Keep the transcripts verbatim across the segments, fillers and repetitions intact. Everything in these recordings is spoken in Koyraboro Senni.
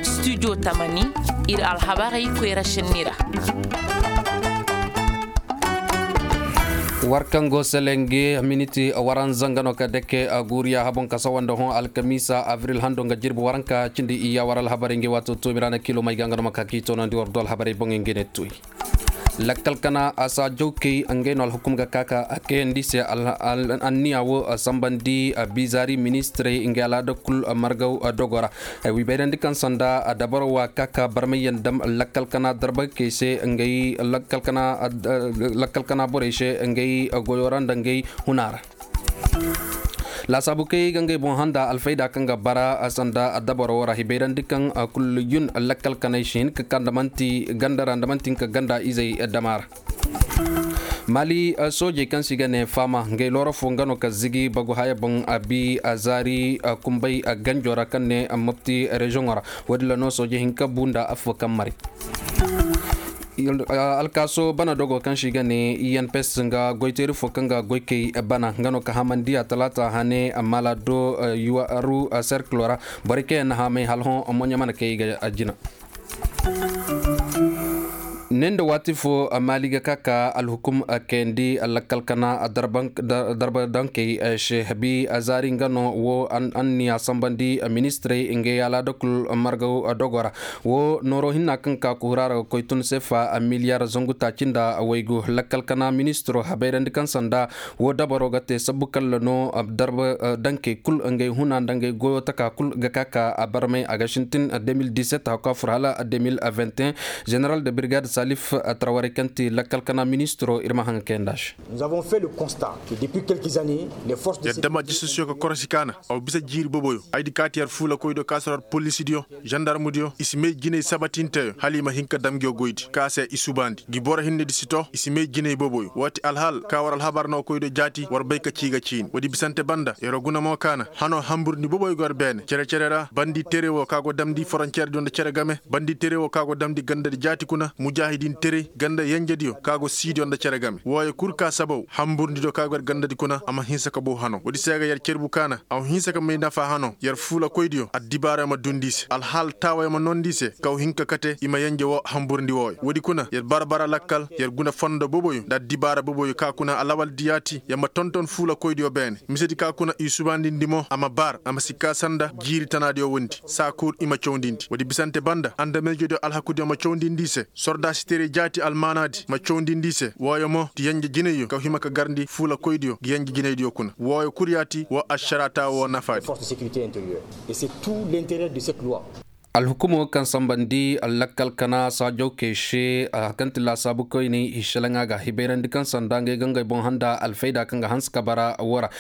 Studio tamani, ir alhabarey koyra šenni ra. War kaŋ go selenge miniti waranza nga no ka dake a guuriya habon ka sawa nda hõ alkamiisa abril hando nga jirbi waranka cindi iyya war alhabarey nge waato toomi ra na kilo may ga nga no ma ka k'i toonandi war do alhabarey boŋey nge ne toy. Lakkal kana a saa jawkey ngey no alhukum ga ka ka a kayandi se. Anniya wo sambandi bizaari ministirey ngey alaada kul margaw dogo ra. Ay wi bayrandi kaŋ sanda dabaro wa ka ka barmayyaŋ dam lakkal kana darbakey se ngey lakkal kana borey se ngey goyo ra nda ngey huna ra. Laasaabu kay ga ngey boŋ handa alfayda kaŋ ga bara sanda dabaro ra hibayrandi kaŋ kul yun lakkal kanay si hin ka ka nda manti ganda ra nda manti hin ka ganda izey dama ra. Mali soojey kaŋ se i ga ne faama ngey looro fo nga no ka zigi bagu haya boŋ a bi a zaari kumbay ganjo ra kaŋ ne mopti reziyoŋo ra. Woodin ra no sooje hinka bu nda affo kaŋ mari. Alkaaso bana dogo kaŋ se i ga ne i n p s nga goyteeri fo kaŋ ga goykey bana nga no ka hamandi a talaata hane amma laado yuwaru serkilo ra. Borey kaŋ yaŋ na hamay hala hõ moɲa mana kay i ga jina. Ne nda waati fo maali ga ka ka alhukum kayandi lakkal kana darba dankey se bi zaari nga no wo anniya sambandi ministirey ngey alaada kul margaw dogo ra. Wo nooro hinna kaŋ ka kuhura ra ga koy tun sefa miliyar zangu taaci nda waygu lakkal kana ministiro habayrandi kaŋ sanda wo dabaro ga te sabbu kalla no darba dankey kul ngey huna nda ngey goyo taka kul ga ka ka a barmay a ga sintin deux mille dix-sept hakka fur hala deux mille vingt et un. Général de brigade salif trawarey kaŋ ti lakkal kana ministiro ir ma haŋa kayanda se. Yadda ma jisasiyo ka korosi kaana aw bisa jiiri boboyo ay di kaati yar fuula koydo ka sor ar polisidiyo, zandarmudiyo i si may jinay sabatinteyo hala i ma hin ka dam ngiyo goydi ka se i subaandi ngi boro hinne di si to i si may jinay boboyo woo ti alhaal ka war alhabar no koydo jaati war bay ka cii ga ciini woodi bisante banda yar guna mo kaana hanoo hamburndi boboyo go yar beene cere-cere ra bandi tere woo ka go damndi foronceerdiyo nda cere game bandi tere woo ka go damndi gandadi jaati kuna mujaahidin tere ganda yenjediyo ka go siidiyo nda cere game wooyo kul ka sabaw hamburndi do ka go yar gandadi kuna a ma hinsa ka bow hanoo woodi se ga yar cerbu kaana a ma hinsa ka may nafa hanoo yar fuulakoydiyo addibaarayo ma dundi i se alhaal taawayo ma noondi i se kaw hin ka kate i ma yenje woo hamburndi wooyo woodi kuna yar bara-bara lakkal yar guna fondo boboyo nda addibaara boboyo ka kuna alawaldi yaati yar ma tonton fuulakoydiyo beene misedi ka kuna i subandindi mo a ma bar a ma si kaa sanda jiiri tanaadiyo wondi saa kul i ma cawndindi woodi bisante banda andameejediyo alhakudiyo ma cawndindi i se sordaasi tere jaati almaanaadi ma cawndindi i se wooyo mo ti yenje jinayyo ka hima ka garndi fuulakoydiyo ngi yenje jinaydiyo kuna wooyo kul yaati woo ašaraata woo nafaadi. Alhukumo kaŋ sambandi lakkal kana saajawkey se a kaŋ ti laasaabu koyney i selaŋa ga hibayrandi kaŋ sanda ngey ga ngey boŋ handa alfayda kaŋ ga hanse ka bara woo ra.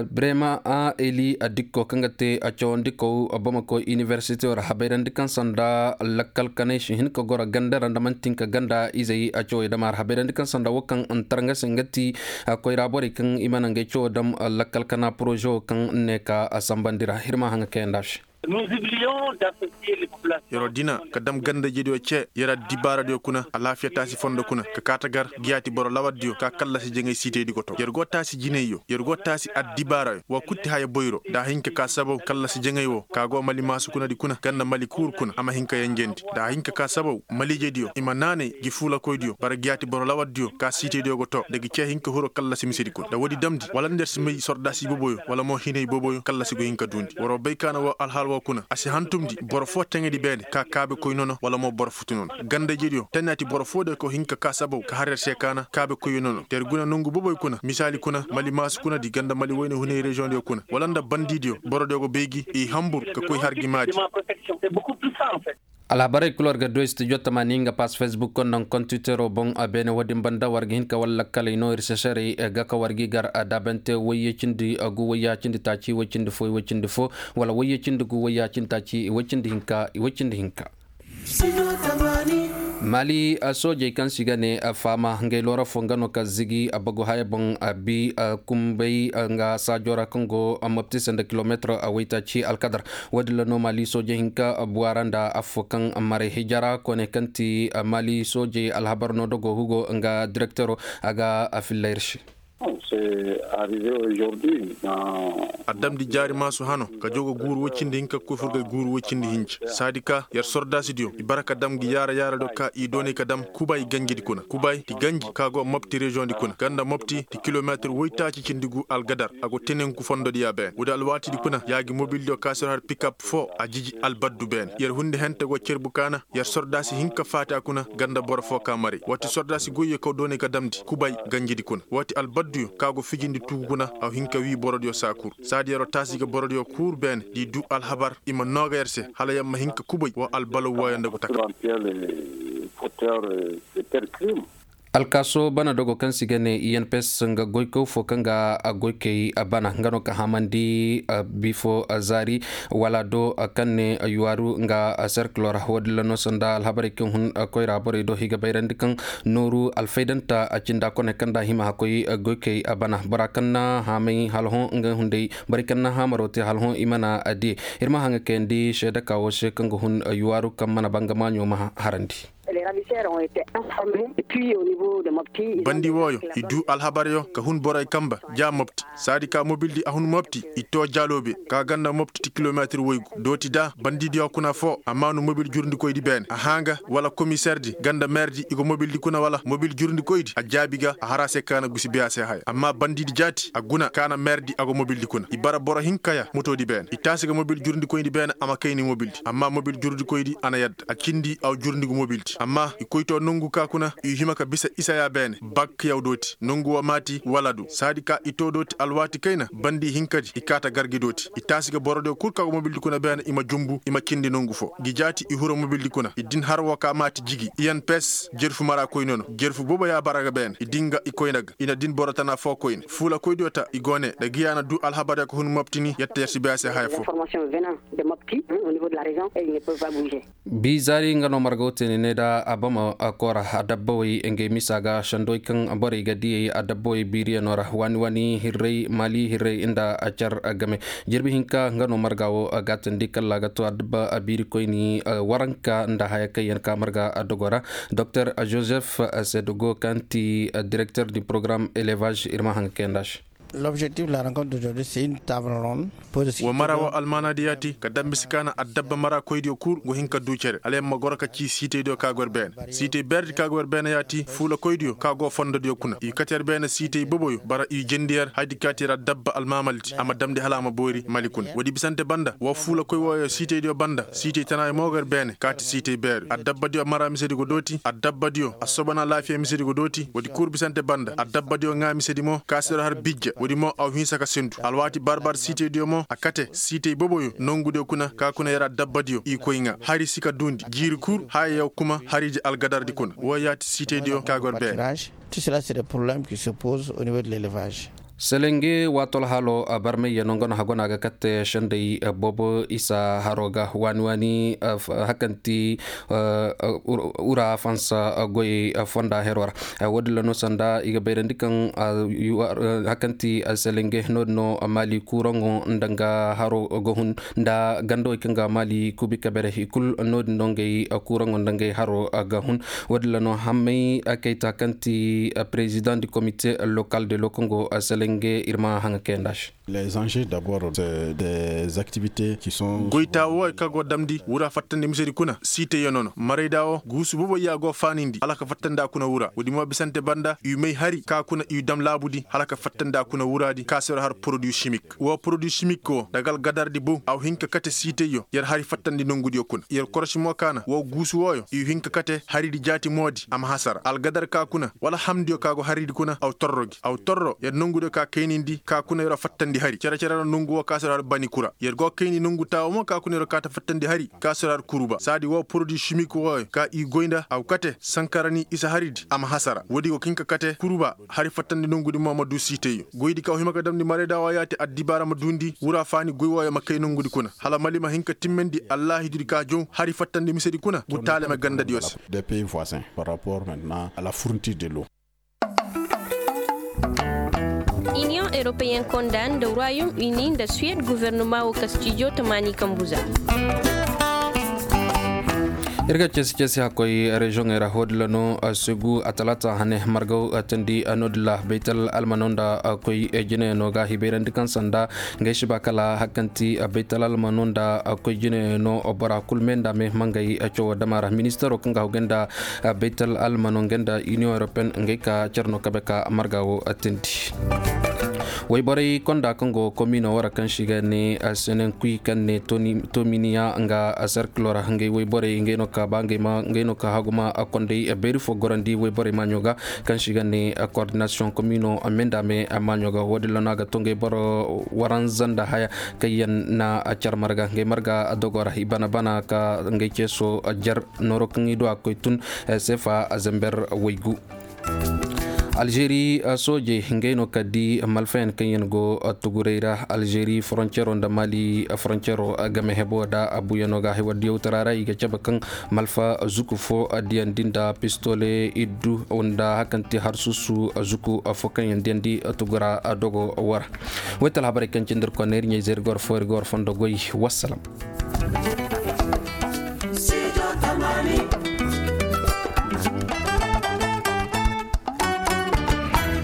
Brema eli dikko kaŋ ga te cawandikow bamako inibersiteyo ra habayrandi kaŋ sanda lakkal kanay si hin ka goro ganda ra nda man'ti hin ka ganda izey cawey dama ra habayrandi kaŋ sanda woo kaŋ n'tar nga se nga ti koyra borey kaŋ i mana ngey cawo dam lakkal kana porozewo kaŋ ne ka sambandi ra hirma haŋa kayanda se. Yer wo dina ka dam gandajediyo ce yer addibaaradiyo kuna alaafiya taasi fondo kuna ka kaa ta gar giyaati boro lawardiyo ka kallasi jaŋay siitaydi go to yer go taasi jinayyo yer go taasi addibaarayo wa kutti haya boyro nda a hin ka kaa sabaw kallasi jaŋay wo ka go mali maasu kunadi kuna ganda mali kuuru kuna a ma hin ka yenjendi nda a hin ka kaa sabaw maliijediyo i ma naanay ngi fuulakoydiyo bara giyaati boro lawardiyo ka siitaydiyo go to nda gi ce hin ka hiro kallasi misedi kuna nda woodi damndi wala nda yer si may sordaasi boboyo wala mo hinay boboyo kallasi go hin ka duundi waroo bay kaana woo alhaal woo kuna a si hantumndi boro foo taŋedi beene ka kaabekoy nono wala mo boro futu nono gandajediyo tanaati boro foo de ko hin ka kaa sabaw ka har yer se kaana kaabekoyyo nono te yer guna nongu boboy kuna misaali kuna mali maasu kuna di ganda mali wayne hunay reziyoŋdiyo kuna wala nda bandidiyo borodiyo go bay gi i hambur ka koy har gi maadi. Alhabarey kul war ga du studio tamani nga pass facebook konda nkontitero boŋ beene wo-din banda war ga hin ka war lakkaley no ir seserey ga ka war gi gar daabante wayye cindi gu wayya cindi taaci way cindi fo way cindi fo wala wayye cindi gu wayya cindi taaci way cindi hinka way cindi hinka. Mali soojey kaŋ se i ga ne faama ngey loora fo nga no ka zigi bagu haya boŋ a bi kumbay nga saajo ra kaŋ go mopti se nda kilometir waytaaci alkadar. Wo-din ra no mali sooje hinka buwa ra nda affo kaŋ maray hijara koone kaŋ ti mali sooje alhabar no dogo hugo nga direktero a ga a filla ir se. A damndi jaari maasu hano ka jaw ga guuru woy cindi hinka ka koy fur ga guuru woy cindi hinja saadi ka yer sordaasidiyo i bara ka dam ngi yaara yaaradiyo ka i doonay ka dam kubay ganjidi kuna kubay ti ganji ka go mopti reziyoŋdi kuna ganda mopti ti kilomeetir woytaaci cindi gu algadar a go tenenku fondodiya beene woodi alwaatidi kuna ya ngi mobildiyo ka sir har pikap foo a jiji albaddu beene yer hundi hente go cerbu kaana yer sordaasi hinka faati a kuna ganda boro foo ka maray waati sordaasi goyyo kaw doonay ka damndi kubay ganjidi kuna waati albadduyo ka go fijindi tugu kuna a hin ka wii borodiyo saa kul saadi yer wo taasi ga borodiyo kul beene di duu alhabar i ma noo ga yer se hala yer ma hin ka kubay wa albalaw wooyo nda go taka. Alkaaso bana dogo kaŋ se i ga ne i n p s nga goykaw fo kaŋ ga goykey bana nga no ka hamandi bifo zaari wala do kaŋ ne yuwaaru nga serkilo ra woodin ra no sanda alhabarey kaŋ hun koyra borey do i ga bayrandi kaŋ nooru alfaydanta cinda kone kaŋ nda a hima hakkoy goykey bana bora kaŋ na haamay hala hõ nga hunday borey kaŋ na haamaro te hala hõ i mana diye. Ir ma haŋa kayandi seedeka wo se kaŋ ga hun yuwaaru kaŋ mana ba nga maaɲo ma harandi. Bandi wooyo i duu alhabaryo ka hun borey kamba ja mopti saadi ka mobildi a hun mopti i too jaloobe ka ganda mopti ti kilomeetir woygu dooti da bandidiyo kuna foo a maanu mobil jurundikoydi beene a hã ga wala komiserdi ganda meerdi i go mobildi kuna wala mobil jurundikoydi a jaabi ga a har a se ka na gusi biyaase haya amma bandidi jaati a guna ka na meerdi a go mobildi kuna i bara boro hinka ya motoodi beene i taasi ga mobil jurundikoydi beene a ma kayni mobildi amma mobil jurundikoydi a na yadda a cindi aw jurundigu mobildi amma i koy too nongu ka kuna i hima ka bisa isa ya beene bakk yaw dooti nongu woo maati wala du saadi ka i too dooti alwaati kayna bandi hinkadi i kaa ta gargi dooti i taasi ga borodiyo kul ka go mobildi kuna beene i ma jumbu i ma cindi nongu foo ngi jaati i huru mobildi kuna i din har woo ka maati jigi i n p s jerfu mara koyne no jerfu boobo ya bara ga beene i din ga i koyna ga i na din boro tana foo koyne fuulakoydiyo ta i go ne nda ngi ya na duu alhabaryo ka hun moptini yette yer si bay a se haya foo. Bii zaari nga no marga wo te ni ne nda abama koora adabbawey ngey misa ga sandowey kaŋ borey ga diyey adabbawey biiriyanoo ra waani waani hirray maali hirray nda car game jirbi hinka nga no marga wo gaatandi kalla ga to adabba biirikoyni waranka nda haya kaŋ yaŋ ka marga dogo ra. Doktor joseph sedogo kaŋ ti direkter di porogaram elevaz ir ma haŋ ga kayandi a se. L'objectif de la rencontre d'aujourd'hui c'est une table ronde. Wa mara wo almaanaadiyo ya ti ka dambe si kaana addabba mara koydiyo kul go hin ka duu cere hala yer ma goro ka cii siitaydiyo ka go yer beene siitay beerdi ka go yer beene ya ti fuula koydiyo ka go fondodiyo kuna i kate yer beene siitay boboyo bara i jendi yer haydi ka ti yer addabba almaamaldi a ma damndi hala a ma boori mali kuna woodi bisante banda wa fuula koy wooyo siitaydiyo banda siitay tanaayo mo go yer beene ka ti siitay beeri addabbadiyo mara misedi go dooti addabbadiyo assobona laafiya misedi go dooti woodi kul bisante banda addabbadiyo ŋaa misedi mo ka si yer har bijja woodi mo aw hinsa ka sendu alwaati barbar siitaydiyo mo a kate siitay boboyo nongudiyo kuna ka kuna yer addabbadiyo i koy ŋaa hari si ka duundi jiiri kul haya yaw kuma hariji algadardi kuna woo yaati siitaydiyo ka go yer beene. Tout cela c'est des problèmes qui se posent au niveau de l'élevage. Selenge waatol halo barmayya no nga no hagona ga katte sendey boobo isa haro ga waani waani hakanti ura fansa goyey fonda hero ra. Woodin ra no sanda i ga bayrandi kaŋ hakanti selenge no-din no maali kuuraŋo nda nga haro ga hun nda gandawey kaŋ ga maali kuubi kabere i kul no-din no ngey kuuraŋo nda ngey haro ga hun. Woodin ra no hammey kayta kaŋ ti president du comité local de lokongo selenge ir ma haŋa kayandi a se. Les enjeux d'abord c'est des activités qui sont goyta wooyo ka go damndi wura fattandi misedi kuna siitayyo nono marayda wo guusu boboy ya go faanindi hala ka fattandi a kuna wura woodi mo bisante banda i may hari ka kuna i dam laabudi hala ka fattandi a kuna wuraadi ka si yer har produit chimique woo produit chimique woo daga algadardi bow a wa hin ka kate siitayyo yer hari fattandi nongudiyo kuna yer korosi mo kaana woo guusu wooyo i wa hin ka kate haridi jaati moodi a ma hasara algadar ka kuna wala hamdiyo ka go haridi kuna a wa torro gi a wa torro yer nongudiyo ka kaynindi ka kuna yer wa fattandi hari cere-cere ra nongu woo ka si yer har bani kura yer go kayni nongu taawo mo ka kuna yer wa kaa ta fattandi hari ka si yer har kuruba saadi woo produit chimique wooyo ka i goy nda a wa kate sankarani isa haridi a ma hasara woodi go ka hin ka kate kuruba hari fattandi nongudi mo ma duu siitayyo goydi ka wa hima ka damndi marayda woo yaati addibaara ma duundi wura faani goy wooyo ma kay nongudi kuna hala mali ma hin ka timmandi allaahidudi ka jow hari fattandi misedi kuna gu taalame gandadiyo se. Des pays voisins par rapport maintenant à la fourniture de l'eau. Iniyoŋ europeen konda nda royaume uni nda suwed guvernoma woo kastijo tamaani kambu za. Ir ga ceesi ceesi hakkoy reziyoŋey ra hodilla no segu a talaata hane margaw tandi nodilla baytal almano nda koy jinayaŋo ga hibayrandi kaŋ sanda ngey si ba kala hakkanti baytal almano nda koy jinayaŋo bora kul me nda me mangay cawo dama ra ministero kaŋ ga hawgay nda baytal almano ngey nda iniyoŋ europeyen ngey ka care no kabe ka marga wo tandi. Wayborey konda kaŋ go komino wara kaŋ si ga ne senen kuy kaŋ ne tominiya nga serkilo ra ngey wayborey ngey no ka ba ngey ma ngey no ka haguma kondey beeri fo gorandi wayborey maaɲo ga kaŋ si ga ne koordinasiyoŋ komino me nda me maaɲo ga wo- din ra no a ga to ngey boro waranza nda haya kaŋ yaŋ na care marga ngey marga dogo ra i bana bana ka ngey ceeso jer nooro kaŋ i du a koy tun seefa zember waygu. Alžeri soojey ngey no ka di malfayaŋ kaŋ yaŋ go tuguray ra alžeri foroncero nda mali foroncero game hebo da abuyaŋo ga haywa diyawtara ra i ga cabe kaŋ malfa zuku fo diyandi nda pistole iddu nda hakanti harsusu zuku fo kaŋ yaŋ diyandi tugura dogo wara. Waytal habarey kaŋ cindi ir konna ir ɲayze ir ga war fo ir ga war fondo goy. Wassalam.